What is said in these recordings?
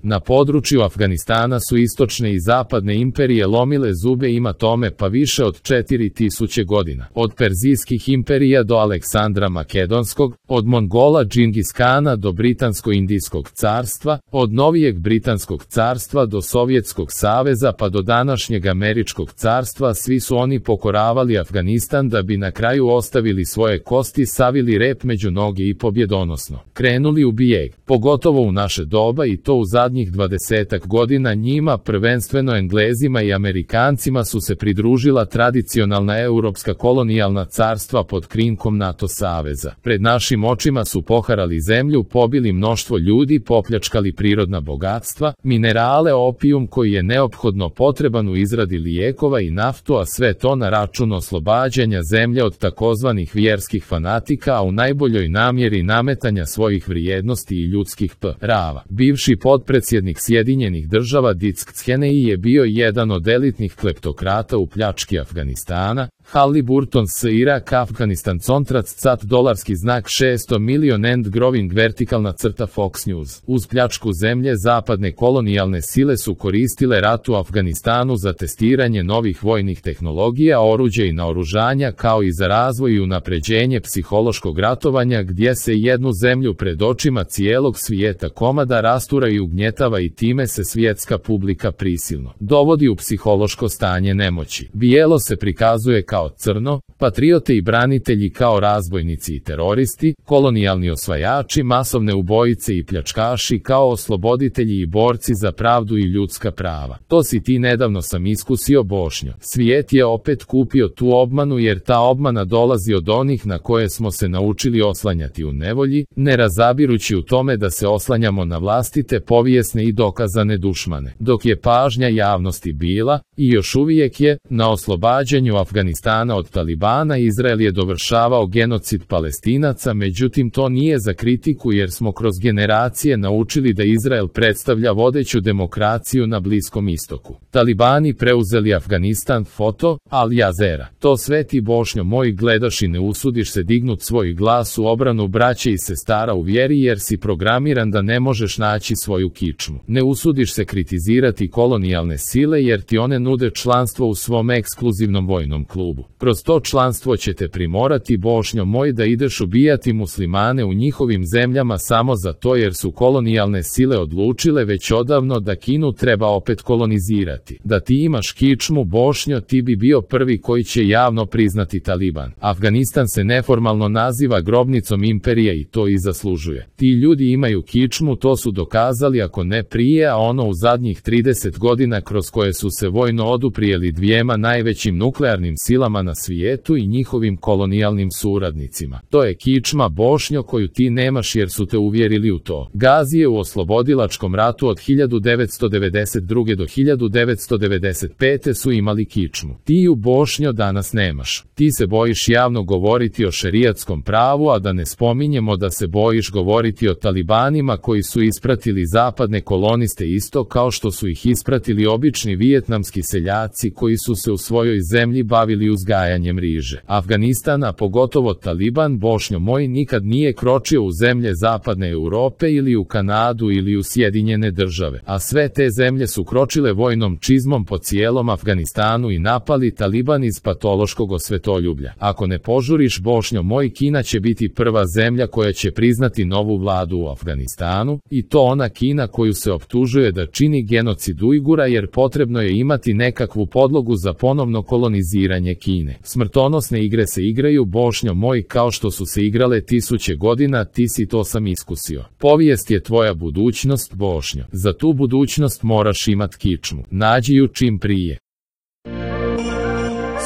Na području Afganistana su istočne i zapadne imperije lomile zube ima tome pa više od 4000 godina. Od Perzijskih imperija do Aleksandra Makedonskog, od Mongola Džingis Kana do Britansko-Indijskog carstva, od novijeg Britanskog carstva do Sovjetskog saveza pa do današnjeg Američkog carstva, svi su oni pokoravali Afganistan da bi na kraju ostavili svoje kosti, savili rep među noge i pobjedonosno krenuli u bijeg, pogotovo u naše doba, i to u zadnjih 20 godina. Njima, prvenstveno Englezima i Amerikancima, su se pridružila tradicionalna europska kolonijalna carstva pod krinkom NATO saveza. Pred našim očima su poharali zemlju, pobili mnoštvo ljudi, popljačkali prirodna bogatstva, minerale, opijum koji je neophodno potreban u izradi lijekova i naftu, a sve to na račun oslobađanja zemlje od takozvanih vjerskih fanatika, a u najboljoj namjeri nametanja svojih vrijednosti i ljudskih prava. Bivši potpredsjednik Sjedinjenih država Dick Cheney je bio jedan od elitnih kleptokrata u pljački Afganistana. Halliburton s Irak Afganistan contract cat dolarski znak 600 million end growing vertikalna crta Fox News. Uz pljačku zemlje zapadne kolonijalne sile su koristile rat u Afganistanu za testiranje novih vojnih tehnologija, oruđa i naoružanja, kao i za razvoj i unapređenje psihološkog ratovanja, gdje se jednu zemlju pred očima cijelog svijeta komada rastura i ugnjetava i time se svjetska publika prisilno dovodi u psihološko stanje nemoći. Bijelo se prikazuje kao crno, patriote i branitelji kao razbojnici i teroristi, kolonijalni osvajači, masovne ubojice i pljačkaši kao osloboditelji i borci za pravdu i ljudska prava. To si ti nedavno sam iskusio, Bošnjo. Svijet je opet kupio tu obmanu, jer ta obmana dolazi od onih na koje smo se naučili oslanjati u nevolji, ne razabirući u tome da se oslanjamo na vlastite povijesne i dokazane dušmane. Dok je pažnja javnosti bila, i još uvijek je, na oslobađanju Afganistana od Talibana, Izrael je dovršavao genocid Palestinaca, međutim to nije za kritiku, jer smo kroz generacije naučili da Izrael predstavlja vodeću demokraciju na Bliskom istoku. Talibani preuzeli Afganistan, foto, Al Jazeera. To sve ti, Bošnjo moj, gledaš i ne usudiš se dignut svoj glas u obranu braće i sestara u vjeri, jer si programiran da ne možeš naći svoju kičmu. Ne usudiš se kritizirati kolonijalne sile, jer ti one nude članstvo u svom ekskluzivnom vojnom klubu. Kroz to članstvo će te primorati, Bošnjo moj, da ideš ubijati muslimane u njihovim zemljama samo zato jer su kolonijalne sile odlučile već odavno da Kinu treba opet kolonizirati. Da ti imaš kičmu, Bošnjo, ti bi bio prvi koji će javno priznati Taliban. Afganistan se neformalno naziva grobnicom imperija i to i zaslužuje. Ti ljudi imaju kičmu, to su dokazali ako ne prije, a ono u zadnjih 30 godina kroz koje su se vojno oduprijeli dvijema najvećim nuklearnim silama na svijetu i njihovim kolonijalnim suradnicima. To je kičma, Bošnjo, koju ti nemaš jer su te uvjerili u to. Gazije u oslobodilačkom ratu od 1992. do 1995. su imali kičmu. Ti ju, Bošnjo, danas nemaš. Ti se bojiš javno govoriti o šerijatskom pravu, a da ne spominjemo da se bojiš govoriti o talibanima koji su ispratili zapadne koloniste isto kao što su ih ispratili obični vijetnamski seljaci koji su se u svojoj zemlji bavili uzgajanjem riže. Afganistan, a pogotovo Taliban, Bošnjo moj, nikad nije kročio u zemlje zapadne Europe ili u Kanadu ili u Sjedinjene države, a sve te zemlje su kročile vojnom čizmom po cijelom Afganistanu i napali Taliban iz patološkog osvetoljublja. Ako ne požuriš, Bošnjo moj, Kina će biti prva zemlja koja će priznati novu vladu u Afganistanu, i to ona Kina koju se optužuje da čini genocid Ujgura, jer potrebno je imati nekakvu podlogu za ponovno koloniziranje Kine. Smrtonosne igre se igraju, Bošnjo moj, kao što su se igrale tisuće godina, ti si to sam iskusio. Povijest je tvoja budućnost, Bošnjo. Za tu budućnost moraš imat kičmu. Nađi ju čim prije.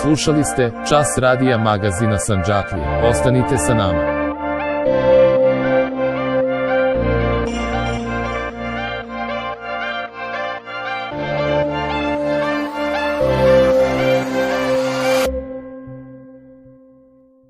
Slušali ste Čas radija magazina Sandžaklija. Ostanite sa nama.